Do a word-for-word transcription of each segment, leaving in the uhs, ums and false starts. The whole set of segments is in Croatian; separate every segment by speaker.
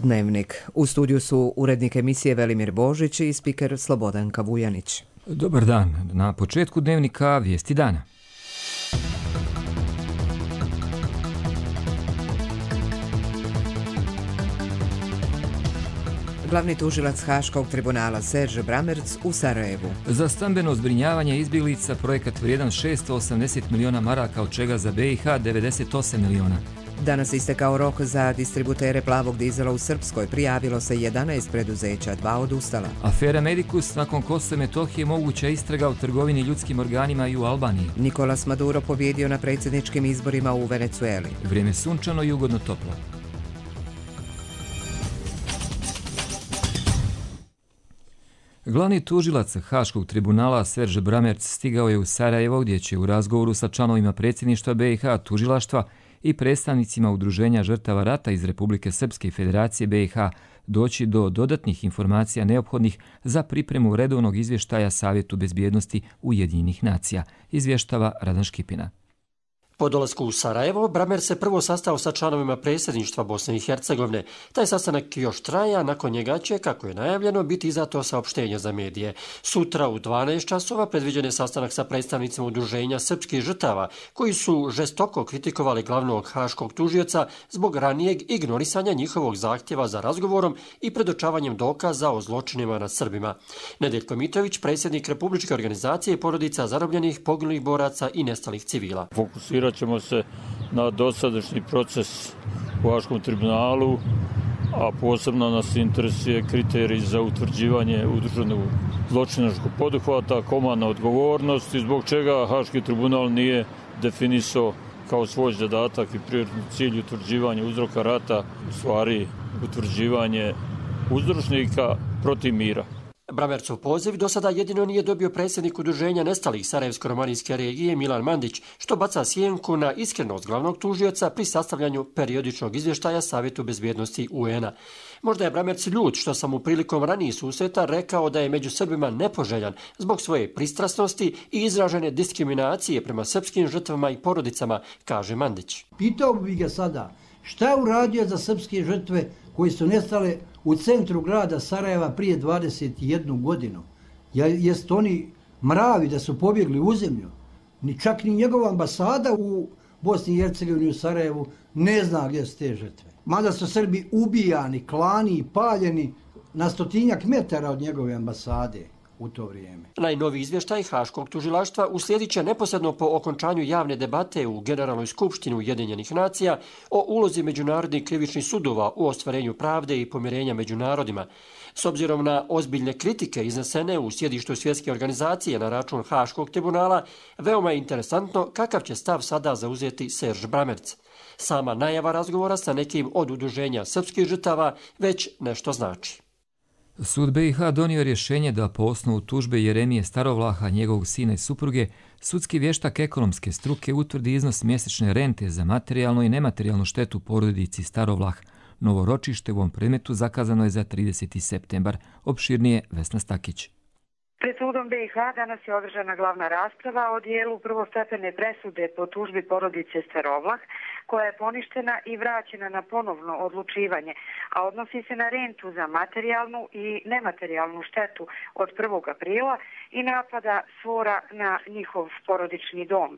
Speaker 1: Dnevnik. U studiju su urednik emisije Velimir Božić i spiker Slobodanka Vujanić.
Speaker 2: Dobar dan. Na početku Dnevnika vijesti dana.
Speaker 1: Glavni tužilac Haškog tribunala Serge Bramertz u Sarajevu.
Speaker 2: Za stambeno zbrinjavanje izbjeglica projekat vrijedan šesto osamdeset miliona maraka, od čega za be i ha devedeset osam miliona.
Speaker 1: Danas istekao rok za distributere plavog dizela u Srpskoj. Prijavilo se jedanaest preduzeća, dva odustala.
Speaker 2: Afera Medicus, nakon Kosova i Metohije moguća istraga o trgovini ljudskim organima i u Albaniji.
Speaker 1: Nicolas Maduro pobjedio na predsjedničkim izborima u Venecueli.
Speaker 2: Vrijeme sunčano i ugodno toplo. Glavni tužilac Haškog tribunala Serge Bramertz stigao je u Sarajevo, gdje će u razgovoru sa članovima predsjedništva be i ha, tužilaštva i predstavnicima Udruženja žrtava rata iz Republike Srpske i Federacije be i ha doći do dodatnih informacija neophodnih za pripremu redovnog izvještaja Savjetu bezbjednosti Ujedinjenih nacija, izvještava Radan Škipina.
Speaker 3: Po dolasku u Sarajevo, Bramertz se prvo sastao sa članovima predsjedništva Bosne i Hercegovine. Taj sastanak još traje, a nakon njega će, kako je najavljeno, biti izdato saopštenje za medije. Sutra u dvanaest časova predviđen je sastanak sa predstavnicima Udruženja srpskih žrtava, koji su žestoko kritikovali glavnog haškog tužioca zbog ranijeg ignorisanja njihovog zahtjeva za razgovorom i predočavanjem dokaza o zločinima nad Srbima. Nedeljko Mitrović, predsjednik Republičke organizacije porodica zarobljenih, poginulih boraca i nestalih civila.
Speaker 4: Fokusirat ćemo se na dosadašnji proces u Haškom tribunalu, a posebno nas interesuje kriterij za utvrđivanje udruženog zločinačkog poduhvata, komandna odgovornost i zbog čega Haški tribunal nije definisao kao svoj zadatak i prioritetni cilj utvrđivanje uzroka rata, u stvari utvrđivanje uzročnika protiv mira.
Speaker 3: Bramertzov poziv do sada jedino nije dobio predsjednik Udruženja nestalih Sarajevsko-romanijske regije Milan Mandić, što baca sjenku na iskrenost glavnog tužioca pri sastavljanju periodičnog izvještaja Savjetu bezbjednosti u en a. Možda je Bramertz ljut što sam mu prilikom ranijih susreta rekao da je među Srbima nepoželjan zbog svoje pristrasnosti i izražene diskriminacije prema srpskim žrtvama i porodicama, kaže Mandić.
Speaker 5: Pitao bih ga sada šta je uradio za srpske žrtve koji su nestale u centru grada Sarajeva prije dvadeset jednu godinu. Jeste oni mravi da su pobjegli u zemlju? Ni čak ni njegova ambasada u Bosni i Hercegovini u Sarajevu ne zna gdje su te žrtve. Mada su Srbi ubijani, klani i paljeni na stotinjak metara od njegove ambasade u to vrijeme.
Speaker 3: Najnoviji izvještaj Haškog tužilaštva uslijedit će neposredno po okončanju javne debate u Generalnoj skupštini Ujedinjenih nacija o ulozi međunarodnih krivičnih sudova u ostvarenju pravde i pomirenja među narodima. S obzirom na ozbiljne kritike iznesene u sjedištu svjetske organizacije na račun Haškog tribunala, veoma je interesantno kakav će stav sada zauzeti Serge Bramertz. Sama najava razgovora sa nekim od udruženja srpskih žrtava već nešto znači.
Speaker 2: Sud be i ha donio rješenje da po osnovu tužbe Jeremije Starovlaha, njegovog sina i supruge, sudski vještak ekonomske struke utvrdi iznos mjesečne rente za materijalnu i nematerijalnu štetu porodici Starovlah. Novo ročište u ovom predmetu zakazano je za trideseti septembar. Opširnije Vesna Stakić.
Speaker 6: Pred sudom be i ha danas je održana glavna rasprava o dijelu prvostepene presude po tužbi porodice Starovlah, koja je poništena i vraćena na ponovno odlučivanje, a odnosi se na rentu za materijalnu i nematerijalnu štetu od prvog aprila i napada svora na njihov porodični dom.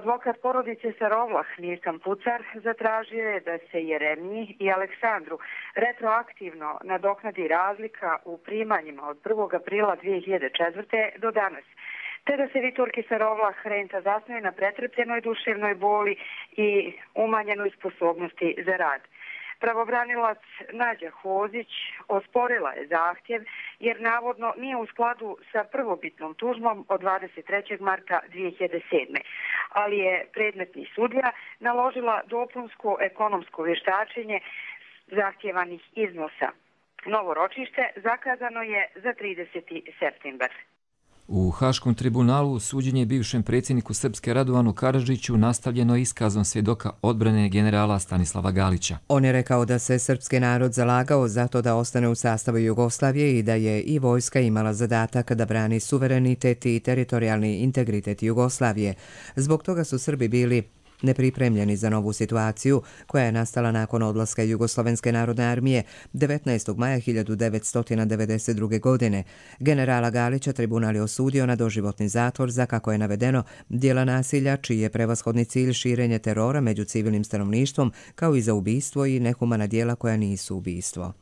Speaker 6: Advokat porodice Starovlah, Mirkan Pucar, zatražio je da se Jeremiji i Aleksandru retroaktivno nadoknadi razlika u primanjima od prvog aprila dvije hiljade četvrte. do danas, te da se Vitorki Starovlah renta zasnuje na pretrpljenoj duševnoj boli i umanjenoj sposobnosti za rad. Pravobranilac Nađa Hozić osporila je zahtjev jer navodno nije u skladu sa prvobitnom tužbom od dvadeset trećeg marta dvije hiljade sedme. ali je predmetni sudija naložila dopunsko ekonomsko vještačenje zahtjevanih iznosa. Novo ročište zakazano je za trideseti septembar.
Speaker 2: U Haškom tribunalu suđenje bivšem predsjedniku Srpske Radovanu Karadžiću nastavljeno iskazom svjedoka odbrane generala Stanislava Galića.
Speaker 1: On je rekao da se srpski narod zalagao za to da ostane u sastavu Jugoslavije i da je i vojska imala zadatak da brani suverenitet i teritorijalni integritet Jugoslavije. Zbog toga su Srbi bili nepripremljeni za novu situaciju koja je nastala nakon odlaska Jugoslovenske narodne armije devetnaestog maja hiljadu devetsto devedeset druge. godine. Generala Galića tribunal je osudio na doživotni zatvor za, kako je navedeno, djela nasilja čiji je prevashodni cilj širenje terora među civilnim stanovništvom, kao i za ubistvo i nehumana djela koja nisu ubistvo.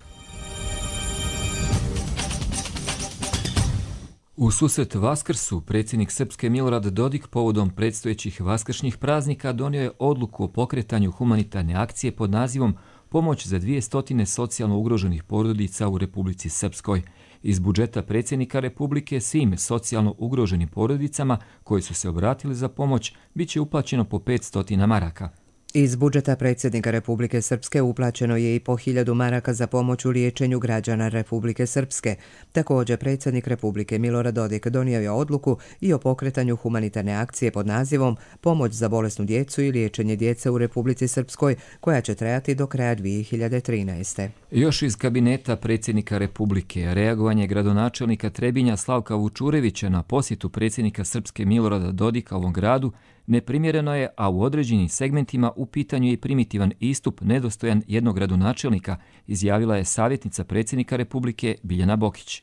Speaker 2: U susret Vaskrsu predsjednik Srpske Milorad Dodik povodom predstojećih vaskršnjih praznika donio je odluku o pokretanju humanitarne akcije pod nazivom Pomoć za dvije stotine socijalno ugroženih porodica u Republici Srpskoj. Iz budžeta predsjednika Republike svim socijalno ugroženim porodicama koji su se obratili za pomoć bit će uplaćeno po petsto maraka.
Speaker 1: Iz budžeta predsjednika Republike Srpske uplaćeno je i po hiljadu maraka za pomoć u liječenju građana Republike Srpske. Također, predsjednik Republike Milorad Dodik donio je odluku i o pokretanju humanitarne akcije pod nazivom Pomoć za bolesnu djecu i liječenje djece u Republici Srpskoj, koja će trajati do kraja dvije hiljade trinaeste.
Speaker 2: Još iz kabineta predsjednika Republike reagovanje gradonačelnika Trebinja Slavka Vučurevića na posjetu predsjednika Srpske Milorada Dodika ovom gradu neprimjereno je, a u određenim segmentima u pitanju je primitivan istup nedostojan jednog gradonačelnika, izjavila je savjetnica predsjednika Republike Biljana Bokić.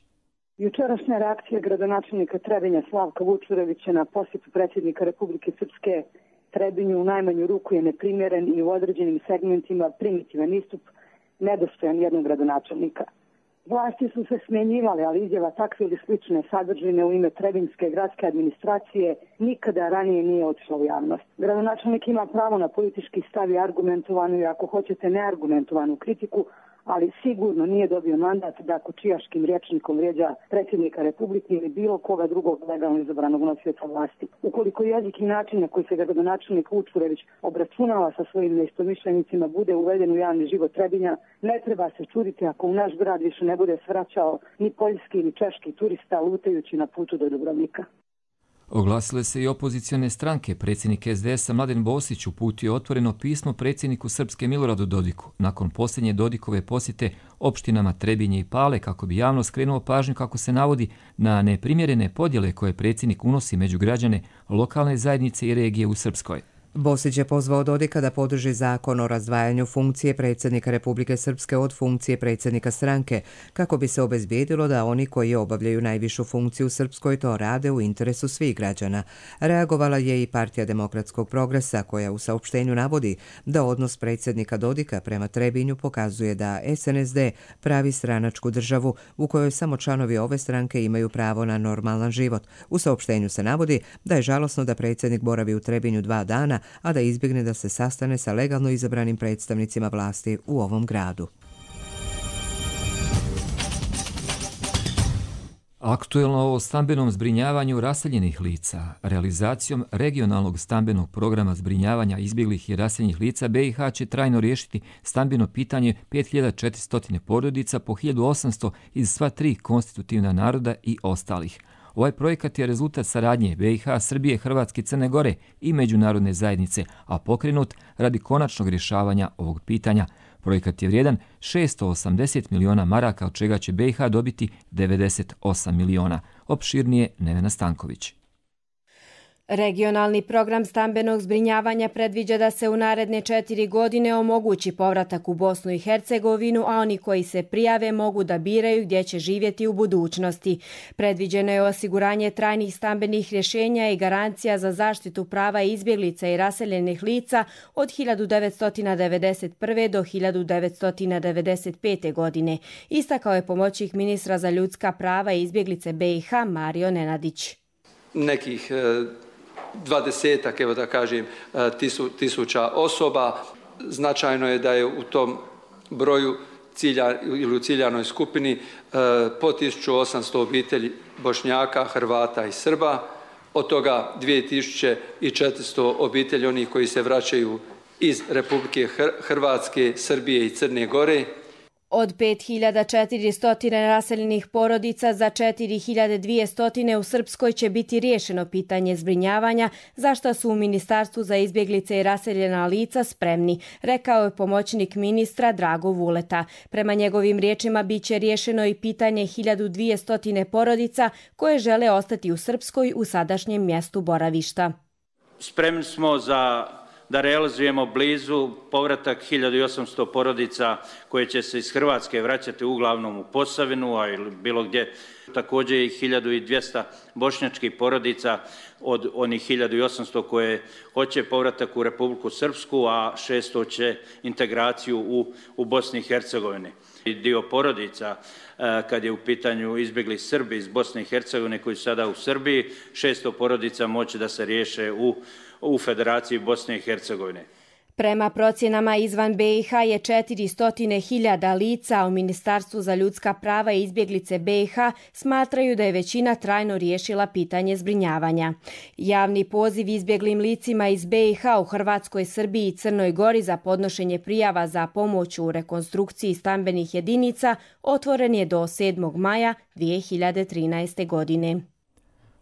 Speaker 7: Jučerašnja reakcija gradonačelnika Trebinja Slavka Vučurevića na posjetu predsjednika Republike Srpske Trebinju u najmanju ruku je neprimjeren i u određenim segmentima primitivan istup nedostojan jednog gradonačelnika. Vlasti su se smjenjivale, ali izjava takve ili slične sadržine u ime Trebinjske gradske administracije nikada ranije nije otišla u javnost. Gradonačelnik ima pravo na politički stav i argumentovanu i, ako hoćete, neargumentovanu kritiku, ali sigurno nije dobio mandat da kočijaškim rječnikom vrijeđa predsjednika Republike ili bilo koga drugog legalno izabranog nosioca vlasti. Ukoliko jezik i način na koji se gradonačelnik Vučurević obračunava sa svojim neistomišljenicima bude uveden u javni život Trebinja, ne treba se čuditi ako u naš grad više ne bude svraćao ni poljski ni češki turista lutajući na putu do Dubrovnika.
Speaker 2: Oglasile se i opozicione stranke. Predsjednik es de esa Mladen Bosić uputio otvoreno pismo predsjedniku Srpske Miloradu Dodiku nakon posljednje Dodikove posjete opštinama Trebinje i Pale, kako bi javno skrenuo pažnju, kako se navodi, na neprimjerene podjele koje predsjednik unosi među građane lokalne zajednice i regije u Srpskoj.
Speaker 1: Bosić je pozvao Dodika da podrži zakon o razdvajanju funkcije predsjednika Republike Srpske od funkcije predsjednika stranke, kako bi se obezbijedilo da oni koji obavljaju najvišu funkciju u Srpskoj to rade u interesu svih građana. Reagovala je i Partija demokratskog progresa, koja u saopštenju navodi da odnos predsjednika Dodika prema Trebinju pokazuje da es en es de pravi stranačku državu u kojoj samo članovi ove stranke imaju pravo na normalan život. U saopštenju se navodi da je žalosno da predsjednik boravi u Trebinju dva dana, a da izbjegne da se sastane sa legalno izabranim predstavnicima vlasti u ovom gradu.
Speaker 2: Aktuelno o stambenom zbrinjavanju raseljenih lica. Realizacijom regionalnog stambenog programa zbrinjavanja izbjeglih i raseljenih lica be i ha će trajno riješiti stambeno pitanje pet hiljada četiristo porodica po hiljadu osamsto iz sva tri konstitutivna naroda i ostalih. Ovaj projekat je rezultat saradnje be i ha, Srbije, Hrvatske, Crne Gore i međunarodne zajednice, a pokrenut radi konačnog rješavanja ovog pitanja. Projekat je vrijedan šesto osamdeset miliona maraka, od čega će be i ha dobiti devedeset osam miliona. Opširnije Nevena Stanković.
Speaker 8: Regionalni program stambenog zbrinjavanja predviđa da se u naredne četiri godine omogući povratak u Bosnu i Hercegovinu, a oni koji se prijave mogu da biraju gdje će živjeti u budućnosti. Predviđeno je osiguranje trajnih stambenih rješenja i garancija za zaštitu prava izbjeglica i raseljenih lica od hiljadu devetsto devedeset prve. do hiljadu devetsto devedeset pete. godine. Istakao je pomoćnik ministra za ljudska prava i izbjeglice be i ha Mario Nenadić.
Speaker 9: Nekih dvadesetak, evo da kažem, tisu, tisuća osoba. Značajno je da je u tom broju cilja, ili u ciljanoj skupini po tisuću osamsto obitelji Bošnjaka, Hrvata i Srba. Od toga dvije tisuće četiristo obitelji onih koji se vraćaju iz Republike Hrvatske, Srbije i Crne Gore.
Speaker 8: Od pet hiljada četiristo raseljenih porodica za četiri hiljade dvjesto u Srpskoj će biti riješeno pitanje zbrinjavanja, za što su u Ministarstvu za izbjeglice i raseljena lica spremni, rekao je pomoćnik ministra Drago Vuleta. Prema njegovim riječima bit će riješeno i pitanje hiljadu dvjesto porodica koje žele ostati u Srpskoj u sadašnjem mjestu boravišta.
Speaker 10: Spremni smo za da realizujemo blizu povratak hiljadu osamsto porodica koje će se iz Hrvatske vraćati uglavnom u Posavinu, a ili bilo gdje. Također i hiljadu dvjesto bošnjačkih porodica od onih hiljadu osamsto koje hoće povratak u Republiku Srpsku, a šesto će integraciju u, u Bosni i Hercegovini. Dio porodica, kad je u pitanju izbjegli Srbi iz Bosne i Hercegovine koji su sada u Srbiji, šesto porodica moći da se riješe u, u Federaciji Bosne i Hercegovine.
Speaker 8: Prema procjenama izvan B i H je četiristo hiljada lica, a u Ministarstvu za ljudska prava i izbjeglice B i H smatraju da je većina trajno riješila pitanje zbrinjavanja. Javni poziv izbjeglim licima iz B i H u Hrvatskoj, Srbiji i Crnoj Gori za podnošenje prijava za pomoć u rekonstrukciji stambenih jedinica otvoren je do sedmog maja dvije hiljade trinaeste. godine.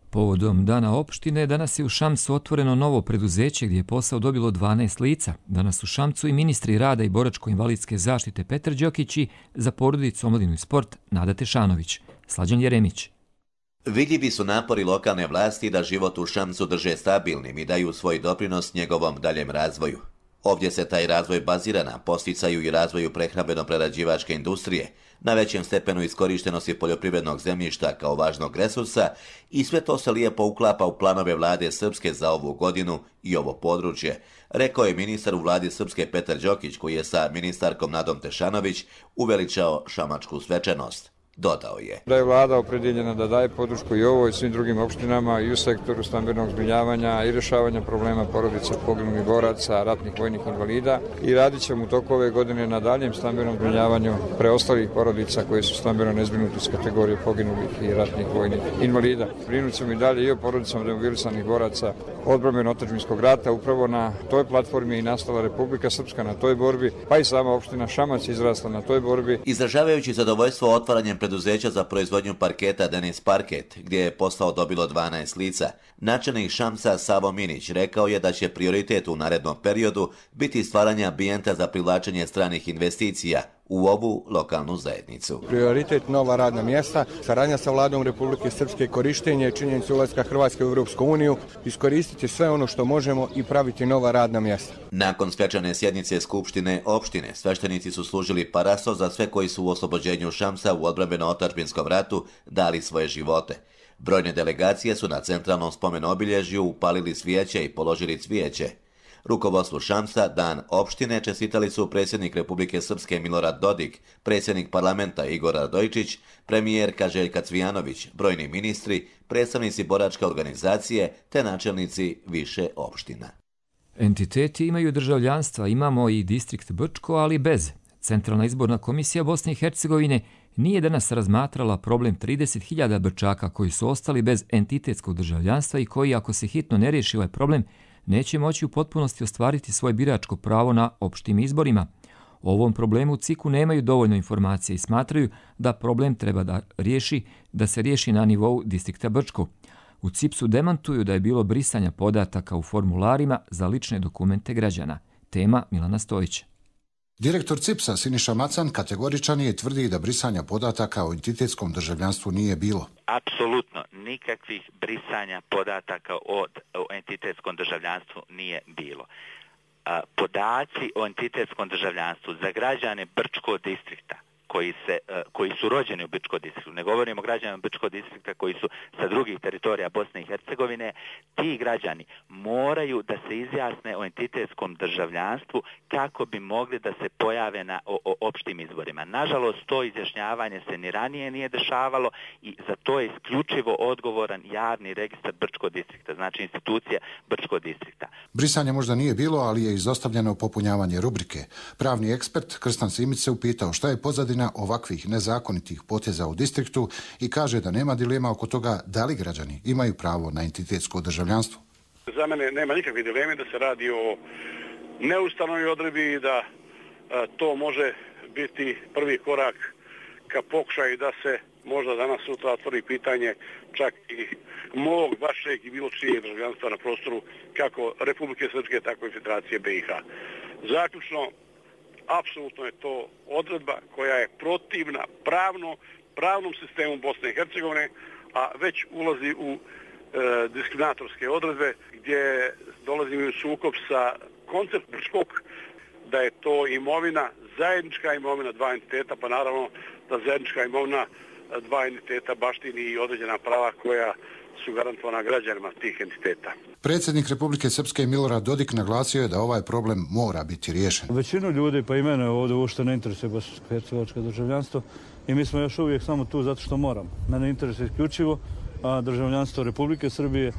Speaker 2: Povodom Dana opštine, danas je u Šamcu otvoreno novo preduzeće gdje je posao dobilo dvanaest lica. Danas u Šamcu i ministri rada i boračko-invalidske zaštite Petar Đokić i za porodicu, omladinu i sport Nada Tešanović. Slađan Jeremić.
Speaker 11: Vidljivi su napori lokalne vlasti da život u Šamcu drže stabilnim i daju svoj doprinos njegovom daljem razvoju. Ovdje se taj razvoj bazira na podsticaju i razvoju prehrambeno-prerađivačke industrije, na većem stepenu iskorištenosti poljoprivrednog zemljišta kao važnog resursa i sve to se lijepo uklapa u planove vlade Srpske za ovu godinu i ovo područje, rekao je ministar u vladi Srpske Petar Đokić, koji je sa ministarkom Nadom Tešanović uveličao šamačku svečanost. Dodao je
Speaker 12: da je vlada opredjeljena da daje podršku i ovoj i svim drugim opštinama i u sektoru stambenog zbrinjavanja i rješavanja problema porodica poginulih boraca, ratnih vojnih invalida i radit ćemo u toku ove godine na daljem stambenom zbrinjavanju preostalih porodica koje su stambeno nezbrinuti iz kategorije poginulih i ratnih vojnih invalida. Brinut ćemo i dalje i o porodicama demobilisanih boraca odbrambeno-otadžbinskog rata. Upravo na toj platformi je i nastala Republika Srpska na toj borbi, pa i sama opština Šamac izrasla na toj borbi.
Speaker 11: Izražavajući zadovoljstvo otvaranjem preduzeća za proizvodnju parketa Denis Parket, gdje je posao dobilo dvanaest lica, načelnik Šamca Savo Minić rekao je da će prioritet u narednom periodu biti stvaranje ambijenta za privlačenje stranih investicija u ovu lokalnu zajednicu.
Speaker 13: Prioritet nova radna mjesta, saradnja sa vladom Republike Srpske, korištenje činjenice ulaska Hrvatske u Europsku uniju, iskoristiti sve ono što možemo i praviti nova radna mjesta.
Speaker 11: Nakon svečane sjednice Skupštine opštine, sveštenici su služili paraso za sve koji su u oslobođenju Šamca u odbrambeno-otadžbinskom ratu dali svoje živote. Brojne delegacije su na centralnom spomen-obilježju upalili svijeće i položili cvijeće. Rukovodstvu Šamca dan opštine čestitali su predsjednik Republike Srpske Milorad Dodik, predsjednik parlamenta Igor Radojičić, premijerka Željka Cvijanović, brojni ministri, predstavnici boračke organizacije te načelnici više opština.
Speaker 2: Entiteti imaju državljanstva, imamo i distrikt Brčko, ali bez. Centralna izborna komisija Bosne i Hercegovine nije danas razmatrala problem trideset hiljada Brčaka koji su ostali bez entitetskog državljanstva i koji, ako se hitno ne riješi ovaj problem, neće moći u potpunosti ostvariti svoje biračko pravo na opštim izborima. O ovom problemu u C I K-u nemaju dovoljno informacija i smatraju da problem treba da riješi, da se riješi na nivou distrikta Brčko. U C I P S-u demantuju da je bilo brisanja podataka u formularima za lične dokumente građana. Tema Milana Stojića.
Speaker 14: Direktor C I P S-a Siniša Macan kategoričan je i tvrdi da brisanja podataka o entitetskom državljanstvu nije bilo.
Speaker 15: Apsolutno nikakvih brisanja podataka o, o entitetskom državljanstvu nije bilo. A, podaci o entitetskom državljanstvu za građane Brčkog distrikta koji, se, koji su rođeni u Brčkom distriktu, ne govorimo o građanima Brčkog distrikta koji su sa drugih teritorija Bosne i Hercegovine, ti građani moraju da se izjasne o entitetskom državljanstvu kako bi mogli da se pojave na o, o opštim izborima. Nažalost, to izjašnjavanje se ni ranije nije dešavalo i za to je isključivo odgovoran javni registar Brčkog distrikta, znači institucija Brčkog distrikta.
Speaker 14: Brisanje možda nije bilo, ali je izostavljeno popunjavanje rubrike. Pravni ekspert Krstan Simić se upitao šta je pozadina ovakvih nezakonitih poteza u distriktu i kaže da nema dilema oko toga da li građani imaju pravo na entitetsko državljanstvo.
Speaker 16: Za mene nema nikakve dileme da se radi o neustavnoj odredbi i da a, to može biti prvi korak ka pokušaju da se možda danas sutra otvori pitanje čak i mog, vašeg i bilo čijeg državljanstva na prostoru kako Republike Srpske, tako i Federacije B i H. Zaključno, apsolutno je to odredba koja je protivna pravno, pravnom sistemu Bosne i Hercegovine, a već ulazi u e, diskriminatorske odredbe gdje dolazimo u sukob sa koncept Brčkog, da je to imovina, zajednička imovina dva entiteta, pa naravno da zajednička imovina dva entiteta baštini i određena prava koja su garantovana građanima tih entiteta.
Speaker 14: Predsjednik Republike Srpske Milorad Dodik naglasio je da ovaj problem mora biti riješen.
Speaker 17: Većinu ljudi, pa i mene ovdje uopšte ne interesuje bosansko-hercegovačko državljanstvo i mi smo još uvijek samo tu zato što moramo. Mene interesuje isključivo a državljanstvo Republike Srbije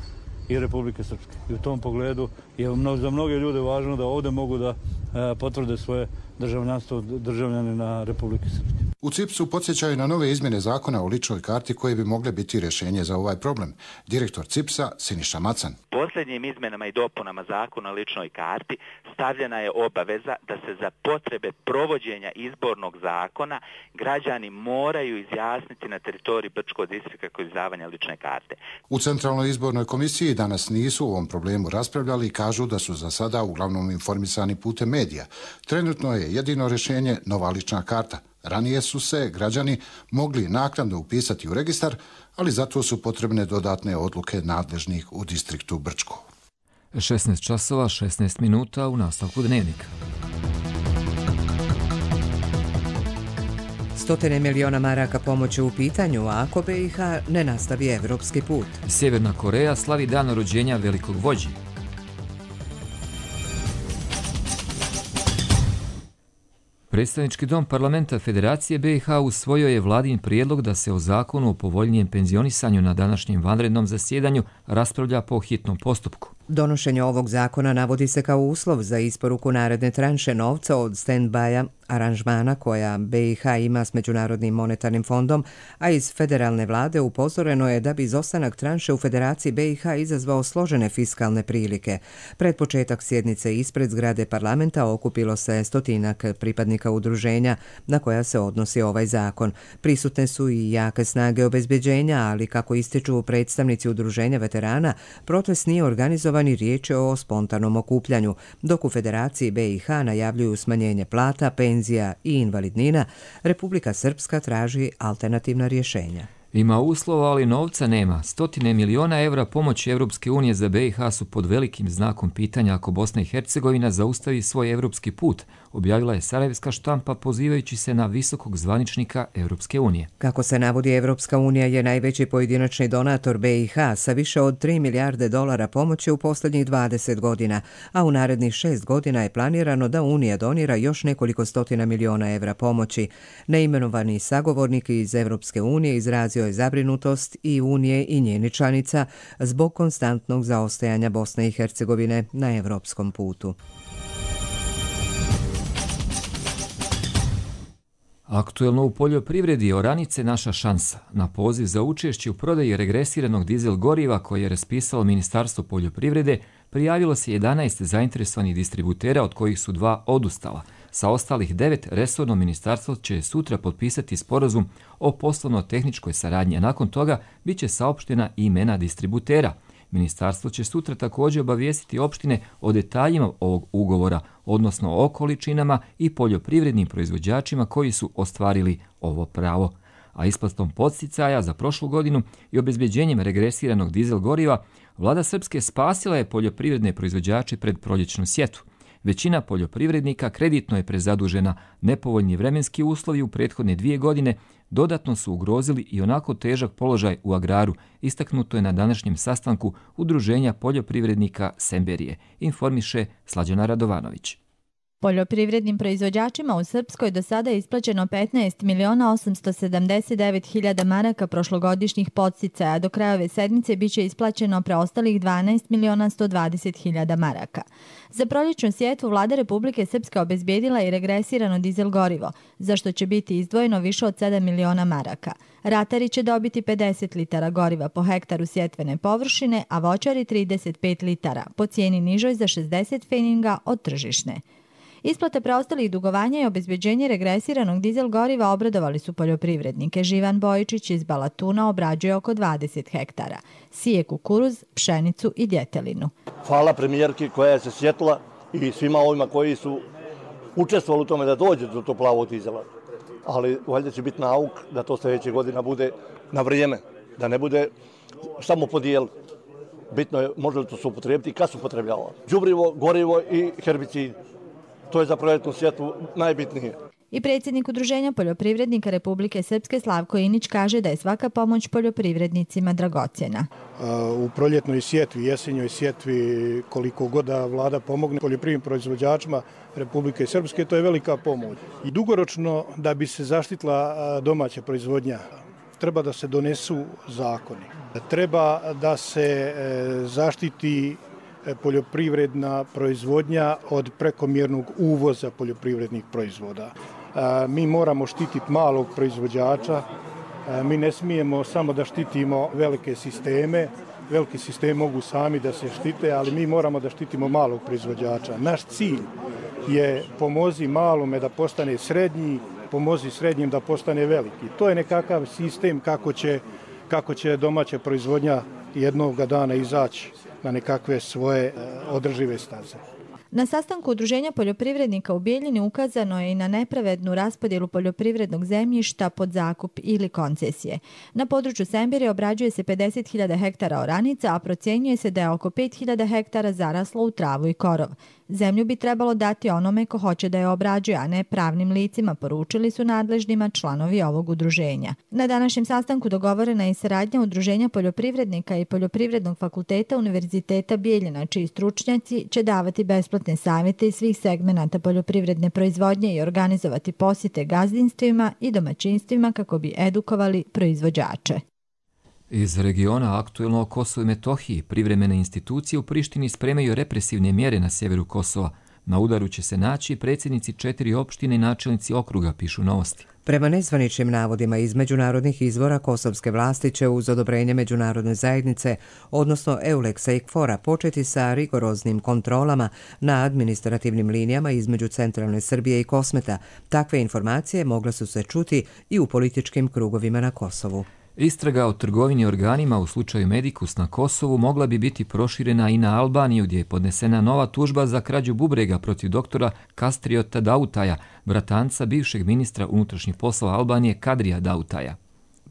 Speaker 17: i Republike Srpske. I u tom pogledu je za mnoge ljude važno da ovdje mogu da potvrde svoje državljanstvo državljanina Republike Srpske.
Speaker 14: U C I P S-u podsjećaju na nove izmjene zakona o ličnoj karti koje bi mogle biti rješenje za ovaj problem. Direktor C I P S-a Siniša Macan.
Speaker 15: Posljednjim izmjenama i dopunama zakona o ličnoj karti stavljena je obaveza da se za potrebe provođenja izbornog zakona građani moraju izjasniti na teritoriji Brčkog distrikta kod izdavanja lične karte.
Speaker 14: U Centralnoj izbornoj komisiji danas nisu o ovom problemu raspravljali i kažu da su za sada uglavnom informisani putem medija. Trenutno je jedino rješenje nova lična karta. Ranije su se građani mogli naknadno upisati u registar, ali zato su potrebne dodatne odluke nadležnih u distriktu Brčko.
Speaker 2: šesnaest časova, šesnaest minuta u nastavku dnevnika.
Speaker 1: Stotine miliona maraka pomoći u pitanju ako B i H ne nastavi evropski put.
Speaker 2: Sjeverna Koreja slavi dan rođenja velikog vođi. Predstavnički dom parlamenta Federacije B i H usvojio je vladin prijedlog da se o zakonu o povoljnijem penzionisanju na današnjem vanrednom zasjedanju raspravlja po hitnom postupku.
Speaker 1: Donošenje ovog zakona navodi se kao uslov za isporuku naredne tranše novca od stand-by-a aranžmana koja B i H ima s Međunarodnim monetarnim fondom, a iz federalne vlade upozoreno je da bi izostanak tranše u Federaciji B i H izazvao složene fiskalne prilike. Pred početak sjednice ispred zgrade parlamenta okupilo se stotinak pripadnika udruženja na koja se odnosi ovaj zakon. Prisutne su i jake snage obezbeđenja, ali kako ističu predstavnici udruženja veterana, protest nije organizovan i riječ je o spontanom okupljanju, dok u Federaciji B i H najavljuju smanjenje plata, penzija i invalidnina, Republika Srpska traži alternativna rješenja.
Speaker 2: Ima uslova, ali novca nema. Stotine miliona evra pomoći Evropske unije za B i H su pod velikim znakom pitanja ako Bosna i Hercegovina zaustavi svoj evropski put, objavila je sarajevska štampa pozivajući se na visokog zvaničnika Evropske unije.
Speaker 1: Kako se navodi, Evropska unija je najveći pojedinačni donator B i H sa više od tri milijarde dolara pomoći u posljednjih dvadeset godina, a u narednih šest godina je planirano da Unija donira još nekoliko stotina miliona evra pomoći. Neimenovani sagovornik iz Evropske unije izrazio je zabrinutost i Unije i njeni članica zbog konstantnog zaostajanja Bosne i Hercegovine na evropskom putu.
Speaker 2: Aktuelno u poljoprivredi oranice naša šansa. Na poziv za učešće u prodaji regresiranog dizel goriva koje je raspisalo Ministarstvo poljoprivrede prijavilo se jedanaest zainteresovanih distributera, od kojih su dva odustala. Sa ostalih devet resorno ministarstvo će sutra potpisati sporazum o poslovno-tehničkoj saradnji, a nakon toga bit će saopštena imena distributera. Ministarstvo će sutra također obavijestiti opštine o detaljima ovog ugovora, odnosno o količinama i poljoprivrednim proizvođačima koji su ostvarili ovo pravo. A isplatom podsticaja za prošlu godinu i obezbeđenjem regresiranog dizel goriva, vlada Srpske spasila je poljoprivredne proizvođače pred proljećnu sjetvu. Većina poljoprivrednika kreditno je prezadužena, nepovoljni vremenski uslovi u prethodne dvije godine dodatno su ugrozili i onako težak položaj u agraru, istaknuto je na današnjem sastanku Udruženja poljoprivrednika Semberije, informiše Slađana Radovanović.
Speaker 18: Poljoprivrednim proizvođačima u Srpskoj do sada je isplaćeno petnaest miliona osamsto sedamdeset devet hiljada maraka prošlogodišnjih podsticaja. Do kraja ove sedmice biće isplaćeno preostalih dvanaest miliona sto dvadeset hiljada maraka. Za proljećnu sjetvu vlada Republike Srpske obezbijedila i regresirano dizel gorivo, za što će biti izdvojeno više od sedam miliona maraka. Ratari će dobiti pedeset litara goriva po hektaru sjetvene površine, a voćari trideset pet litara, po cijeni nižoj za šezdeset feninga od tržišne. Isplate preostalih dugovanja i obezbeđenje regresiranog dizel goriva obradovali su poljoprivrednike. Živan Bojičić iz Balatuna obrađuje oko dvadeset hektara. Sije kukuruz, pšenicu i djetelinu.
Speaker 19: Hvala premijerki koja je se sjetila i svima ovima koji su učestvovali u tome da dođe do to plavog dizela. Ali valjda će biti nauk da to sljedeće godina bude na vrijeme, da ne bude samo podijel. Bitno je može li to se upotrijebiti i kad se upotrebljava. Đubrivo, gorivo i herbicid. To je za projektnu sjetvu najbitnije.
Speaker 18: I predsjednik Udruženja poljoprivrednika Republike Srpske Slavko Inić kaže da je svaka pomoć poljoprivrednicima dragocjena.
Speaker 20: U proljetnoj sjetvi, jesenjoj sjetvi, koliko god da vlada pomogne poljoprivrednim proizvođačima Republike Srpske, to je velika pomoć. I dugoročno, da bi se zaštitila domaća proizvodnja, treba da se donesu zakoni. Treba da se zaštiti poljoprivredna proizvodnja od prekomjernog uvoza poljoprivrednih proizvoda. Mi moramo štititi malog proizvođača, mi ne smijemo samo da štitimo velike sisteme, veliki sistemi mogu sami da se štite, ali mi moramo da štitimo malog proizvođača. Naš cilj je pomozi malome da postane srednji, pomozi srednjim da postane veliki. To je nekakav sistem kako će, kako će domaća proizvodnja jednog dana izaći na nekakve svoje održive staze.
Speaker 18: Na sastanku Udruženja poljoprivrednika u Bijeljini ukazano je i na nepravednu raspodjelu poljoprivrednog zemljišta pod zakup ili koncesije. Na području Sembire obrađuje se pedeset hiljada hektara oranica, a procjenjuje se da je oko pet hiljada hektara zaraslo u travu i korov. Zemlju bi trebalo dati onome ko hoće da je obrađuje, a ne pravnim licima, poručili su nadležnima članovi ovog udruženja. Na današnjem sastanku dogovorena je i saradnja Udruženja poljoprivrednika i Poljoprivrednog fakulteta Univerziteta Bijeljina, čiji stručnjaci će davati besplatne savjete iz svih segmenata poljoprivredne proizvodnje i organizovati posjete gazdinstvima i domaćinstvima kako bi edukovali proizvođače.
Speaker 2: Iz regiona aktuelno o Kosovu i Metohiji privremene institucije u Prištini spremaju represivne mjere na sjeveru Kosova. Na udaru će se naći predsjednici četiri opštine i načelnici okruga, pišu Novosti.
Speaker 1: Prema nezvaničnim navodima iz međunarodnih izvora, kosovske vlasti će uz odobrenje međunarodne zajednice, odnosno Euleksa i Kfora, početi sa rigoroznim kontrolama na administrativnim linijama između centralne Srbije i Kosmeta. Takve informacije mogle su se čuti i u političkim krugovima na Kosovu.
Speaker 2: Istraga o trgovini organima u slučaju Medikus na Kosovu mogla bi biti proširena i na Albaniju, gdje je podnesena nova tužba za krađu bubrega protiv doktora Kastriota Dautaja, bratanca bivšeg ministra unutrašnjih poslova Albanije Kadrija Dautaja.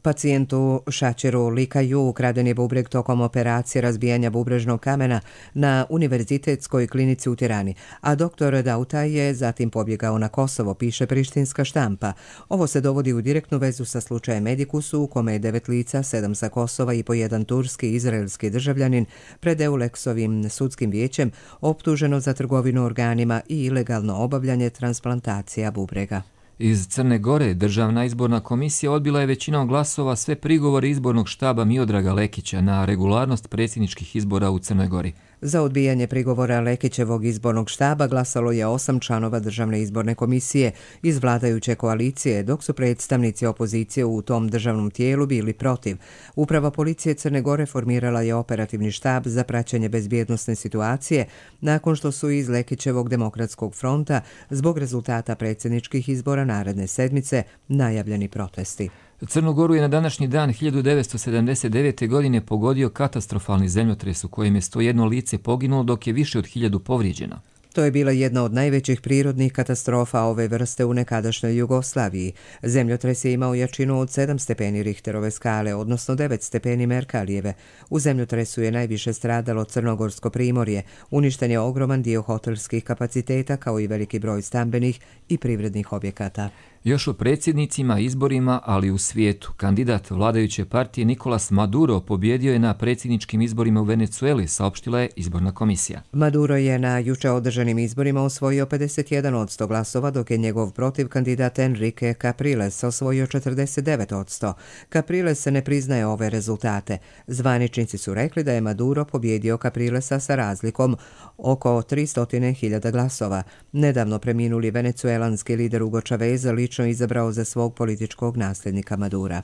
Speaker 1: Pacijentu Šačeru Likaju ukraden je bubreg tokom operacije razbijanja bubrežnog kamena na Univerzitetskoj klinici u Tirani, a doktor Dautaj je zatim pobjegao na Kosovo, piše prištinska štampa. Ovo se dovodi u direktnu vezu sa slučajem Medikusu, u kome je devet lica, sedam sa Kosova i po jedan turski i izraelski državljanin, pred Euleksovim sudskim vijećem optuženo za trgovinu organima i ilegalno obavljanje transplantacija bubrega.
Speaker 2: Iz Crne Gore Državna izborna komisija odbila je većinom glasova sve prigovore izbornog štaba Miodraga Lekića na regularnost predsjedničkih izbora u Crnoj Gori.
Speaker 1: Za odbijanje prigovora Lekićevog izbornog štaba glasalo je osam članova Državne izborne komisije iz vladajuće koalicije, dok su predstavnici opozicije u tom državnom tijelu bili protiv. Uprava policije Crne Gore formirala je operativni štab za praćenje bezbjednosne situacije nakon što su iz Lekićevog demokratskog fronta zbog rezultata predsjedničkih izbora naredne sedmice najavljeni protesti.
Speaker 2: Crnu Goru je na današnji dan hiljadu devetsto sedamdeset devete. godine pogodio katastrofalni zemljotres u kojem je sto jedno lice poginulo, dok je više od hiljadu povrijeđeno.
Speaker 1: To je bila jedna od najvećih prirodnih katastrofa ove vrste u nekadašnjoj Jugoslaviji. Zemljotres je imao jačinu od sedam stepeni Richterove skale, odnosno devet stepeni Merkalijeve. U zemljotresu je najviše stradalo Crnogorsko primorje. Uništen je ogroman dio hotelskih kapaciteta, kao i veliki broj stambenih i privrednih objekata.
Speaker 2: Još o predsjednicima, izborima, ali u svijetu. Kandidat vladajuće partije Nicolas Maduro pobjedio je na predsjedničkim izborima u Venecueli, saopštila je izborna komisija.
Speaker 1: Maduro je na juče održanim izborima osvojio pedeset jedan posto glasova, dok je njegov protiv kandidat Enrique Capriles osvojio četrdeset devet posto. Capriles ne priznaje ove rezultate. Zvaničnici su rekli da je Maduro pobjedio Caprilesa sa razlikom oko tristo hiljada glasova. Nedavno preminuli venecuelanski lider Hugo Chavez lično izabrao za svog političkog nasljednika Madura.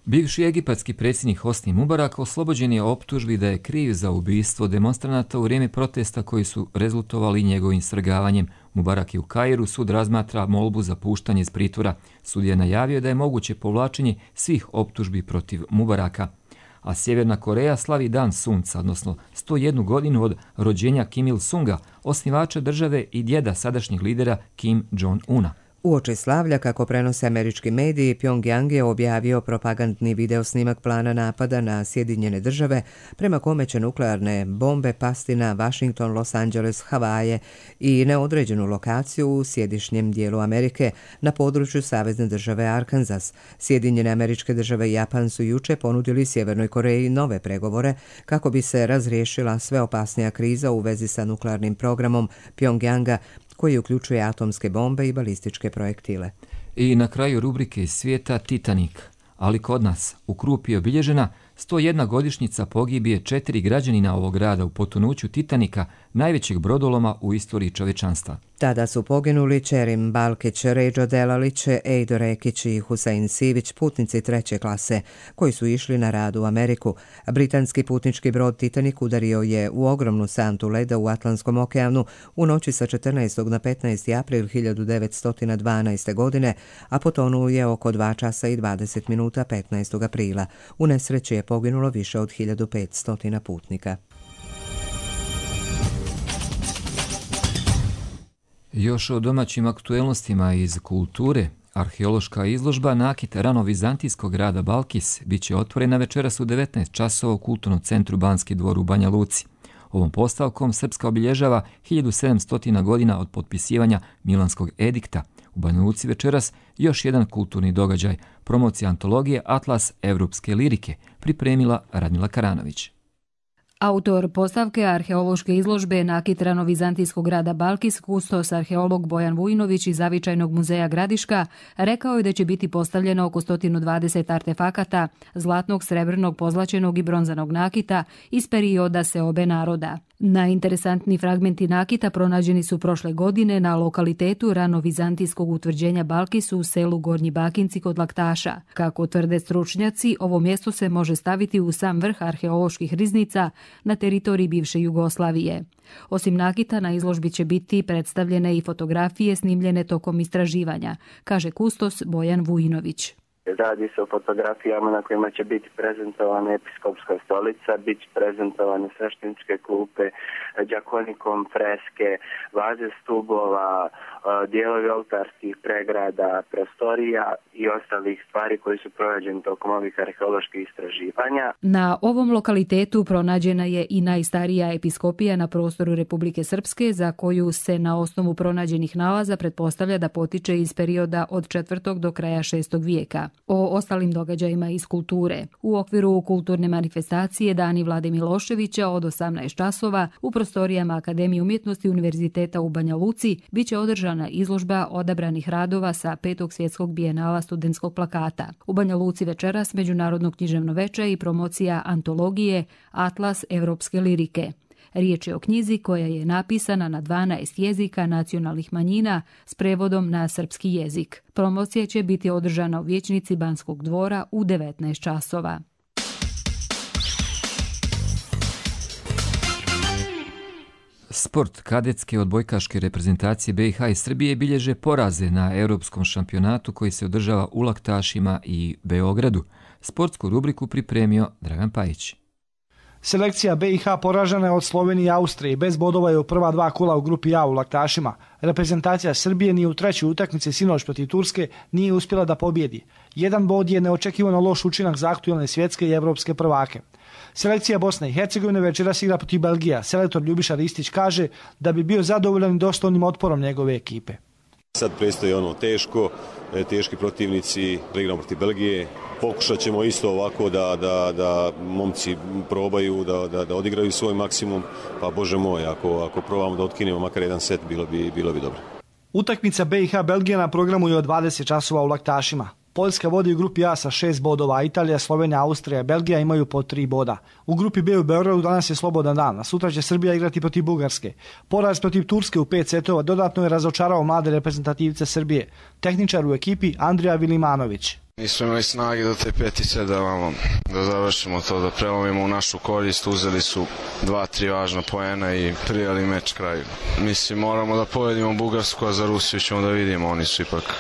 Speaker 2: Bivši egipatski predsjednik Hosni Mubarak oslobođen je optužbi da je kriv za ubistvo demonstranata u vrijeme protesta koji su rezultovali njegovim svrgavanjem. Mubarak je u Kairu, sud razmatra molbu za puštanje iz pritvora. Sud je najavio da je moguće povlačenje svih optužbi protiv Mubaraka. A Sjeverna Koreja slavi Dan sunca, odnosno sto jednu godinu od rođenja Kim Il-sunga, osnivača države i djeda sadašnjeg lidera Kim Jong-una.
Speaker 1: Uoči slavlja, kako prenose američki mediji, Pjongjang je objavio propagandni video snimak plana napada na Sjedinjene države, prema kome će nuklearne bombe pasti na Washington, Los Angeles, Havaje i neodređenu lokaciju u sjedišnjem dijelu Amerike na području savezne države Arkansas. Sjedinjene američke države i Japan su juče ponudili Sjevernoj Koreji nove pregovore kako bi se razriješila sve opasnija kriza u vezi sa nuklearnim programom Pjongjanga, koji uključuje atomske bombe i balističke projektile.
Speaker 2: I na kraju rubrike iz svijeta Titanic. Ali kod nas u Krupi je obilježena sto jedna godišnjica pogibije četiri građanina ovog grada u potonuću Titanika, najvećeg brodoloma u istoriji čovječanstva.
Speaker 1: Tada su poginuli Čerim Balkić, Ređo Delalić, Ejdo Rekić i Husein Sivić, putnici treće klase, koji su išli na rad u Ameriku. Britanski putnički brod Titanic udario je u ogromnu santu leda u Atlantskom okeanu u noći sa četrnaestog na petnaesti april hiljadu devetsto dvanaeste. godine, a potonuo je oko dva časa i dvadeset minuta petnaestog aprila. U nesreći je poginulo više od hiljadu petsto putnika.
Speaker 2: Još o domaćim aktuelnostima iz kulture. Arheološka izložba Nakit rano-vizantijskog grada Balkis bit će otvorena večeras u devetnaest časova u Kulturnom centru Banski dvor u Banja Luci. Ovom postavkom Srpska obilježava hiljadu sedamsto godina od potpisivanja Milanskog edikta. U Banja Luci večeras još jedan kulturni događaj, promocija antologije Atlas evropske lirike, pripremila Radmila Karanović.
Speaker 21: Autor postavke arheološke izložbe Nakit rano-vizantijskog grada Balkis, kustos arheolog Bojan Vujinović iz Zavičajnog muzeja Gradiška, rekao je da će biti postavljeno oko sto dvadeset artefakata zlatnog, srebrnog, pozlaćenog i bronzanog nakita iz perioda seobe naroda. Najinteresantniji fragmenti nakita pronađeni su prošle godine na lokalitetu rano-vizantijskog utvrđenja Balkis u selu Gornji Bakinci kod Laktaša. Kako tvrde stručnjaci, ovo mjesto se može staviti u sam vrh arheoloških riznica na teritoriji bivše Jugoslavije. Osim nakita, na izložbi će biti predstavljene i fotografije snimljene tokom istraživanja, kaže kustos Bojan Vujinović.
Speaker 22: Radi se o fotografijama na kojima će biti prezentovana episkopska stolica, bit će prezentovane svešteničke klupe, đakonikom freske, vaze stubova, dijelovi oltarskih pregrada, prostorija i ostalih stvari koji su pronađeni tokom ovih arheoloških istraživanja.
Speaker 21: Na ovom lokalitetu pronađena je i najstarija episkopija na prostoru Republike Srpske, za koju se na osnovu pronađenih nalaza pretpostavlja da potiče iz perioda od četvrtog do kraja šestog vijeka. O ostalim događajima iz kulture. U okviru kulturne manifestacije Dani Vlade Miloševića od osamnaest časova u prostorijama Akademije umjetnosti Univerziteta u Banja Luci biće održana izložba odabranih radova sa petog svjetskog bijenala studentskog plakata. U Banja Luci večeras Međunarodno književno veče i promocija antologije Atlas evropske lirike. Riječ je o knjizi koja je napisana na dvanaest jezika nacionalnih manjina s prevodom na srpski jezik. Promocija će biti održana u vijećnici Banskog dvora u devetnaest časova.
Speaker 2: Sport kadetske odbojkaške reprezentacije B i H i Srbije bilježe poraze na europskom šampionatu koji se održava u Laktašima i Beogradu. Sportsku rubriku pripremio Dragan Pajić.
Speaker 23: Selekcija B i H poražena je od Slovenije i Austrije, bez bodova je u prva dva kola u grupi A u Laktašima. Reprezentacija Srbije ni u trećoj utakmici sinoć protiv Turske nije uspjela da pobjedi. Jedan bod je neočekivano loš učinak za aktualne svjetske i evropske prvake. Selekcija Bosne i Hercegovine večeras igra protiv Belgija. Selektor Ljubiša Ristić kaže da bi bio zadovoljan dostojnim otporom njegove ekipe.
Speaker 24: Sad predstoji ono teško, teški protivnici, igramo protiv Belgije. Pokušat ćemo isto ovako da, da, da momci probaju, da, da, da odigraju svoj maksimum, pa Bože moj, ako, ako probamo da otkinemo makar jedan set, bilo bi, bilo bi dobro.
Speaker 23: Utakmica B i H Belgija na programu je od dvadeset časova u Laktašima. Poljska vodi u grupi A sa šest bodova, a Italija, Slovenija, Austrija i Belgija imaju po tri boda. U grupi B u Beogradu danas je slobodan dan, a sutra će Srbija igrati protiv Bugarske. Poraz protiv Turske u pet setova dodatno je razočarao mlade reprezentativce Srbije. Tehničar u ekipi Andrija Vilimanović.
Speaker 25: Nismo imali snage do te petice da, vamo, da završimo to, da prelomimo u našu korist. Uzeli su dva, tri važna poena i prijeli meč kraju. Mislim, moramo da povedimo Bugarsku, a za Rusiju ćemo da vidimo. Oni su ipak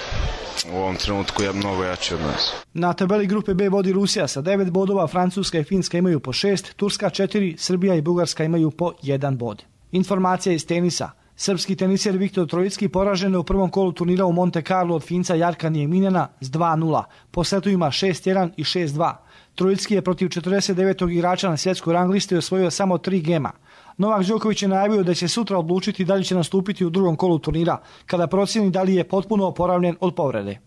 Speaker 25: u ovom trenutku je mnogo jači od nas.
Speaker 23: Na tabeli grupe B vodi Rusija sa devet bodova, Francuska i Finska imaju po šest, Turska četiri, Srbija i Bugarska imaju po jedan bod. Informacija iz tenisa. Srpski teniser Viktor Trojicki poražen je u prvom kolu turnira u Monte Carlo od Finca Jarkanije Minena s dva nula, po setovima šest jedan i šest dva. Trojicki je protiv četrdeset devetog igrača na svjetskoj rang listi osvojio samo tri gema. Novak Đoković je najavio da će sutra odlučiti da li će nastupiti u drugom kolu turnira, kada procjeni da li je potpuno oporavljen od povrede.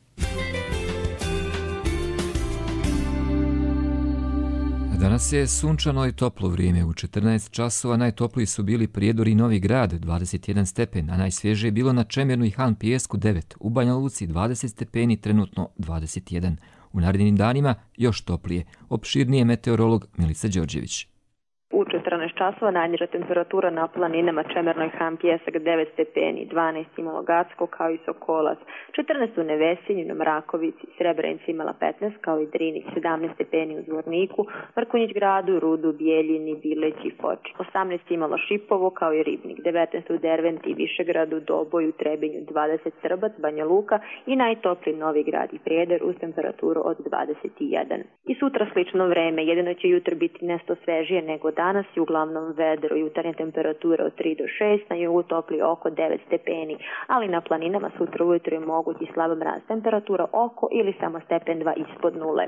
Speaker 2: Danas je sunčano i toplo vrijeme. U četrnaest časova najtopliji su bili Prijedor i Novi Grad, dvadeset jedan stepen, a najsvježije je bilo na Čemernu i Han Pijesku devet, u Banja Luci dvadeset stepeni, trenutno dvadeset jedan. U narednim danima još toplije. Opširnije meteorolog Milica Đorđević.
Speaker 3: U četrnaest časova najniža temperatura na planinama Čemernoj Han Pijesak devet stepeni, dvanaest imalo Gacko kao i Sokolac, četrnaest u Nevesinju, na Mrakovici, Srebrenici imala petnaest kao i Drini, sedamnaest stepeni u Zvorniku, Mrkonjić Gradu, Rudu, Bijeljini, Bileći i Foči, osamnaest imalo Šipovo kao i Ribnik, devetnaest u Derventi, Višegradu, Doboju, Trebinju, dvadeset Srbac, Banja Luka i najtopli Novi Grad i Prijedor uz temperaturu od dvadeset jedan. I sutra slično vreme, jedino će jutro biti nešto svežije nego danas je uglavnom vedro, jutarnja temperatura od tri do šest, na jugu topli oko devet stepeni, ali na planinama sutra ujutro je moguć i slaba mraz, temperatura oko ili samo stepen dva ispod nule.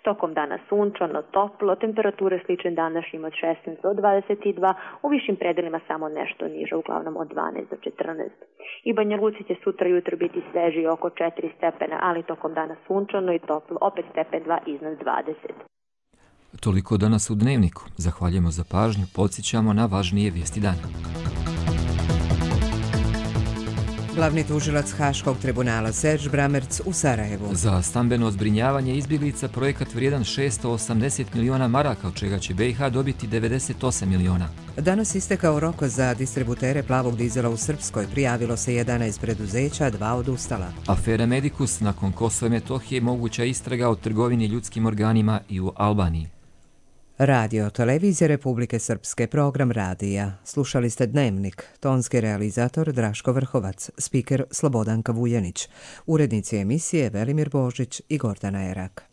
Speaker 3: Tokom dana sunčano, toplo, temperature slične današnjim od šesnaest do dvadeset dva, u višim predelima samo nešto niže, uglavnom od dvanaest do četrnaest. I Banja Luci će sutra jutro biti sveži oko četiri stepena, ali tokom dana sunčano i toplo, opet stepen dva iznad dvadeset.
Speaker 2: Toliko danas u Dnevniku. Zahvaljujemo za pažnju, podsjećamo na važnije vijesti dana.
Speaker 1: Glavni tužilac Haškog tribunala Serž Bramerc u Sarajevu.
Speaker 2: Za stambeno zbrinjavanje izbjeglica projekat vrijedan šesto osamdeset miliona maraka, od čega će B i H dobiti devedeset osam miliona.
Speaker 1: Danas istekao rok za distributere plavog dizela u Srpskoj. Prijavilo se jedanaest preduzeća, dva odustala.
Speaker 2: Afera Medikus, nakon Kosova i Metohije, moguća istraga o trgovini ljudskim organima i u Albaniji.
Speaker 1: Radio Televizije Republike Srpske, program radija. Slušali ste Dnevnik, tonski realizator Draško Vrhovac, spiker Slobodanka Vujanić, urednici emisije Velimir Božić i Gordana Erak.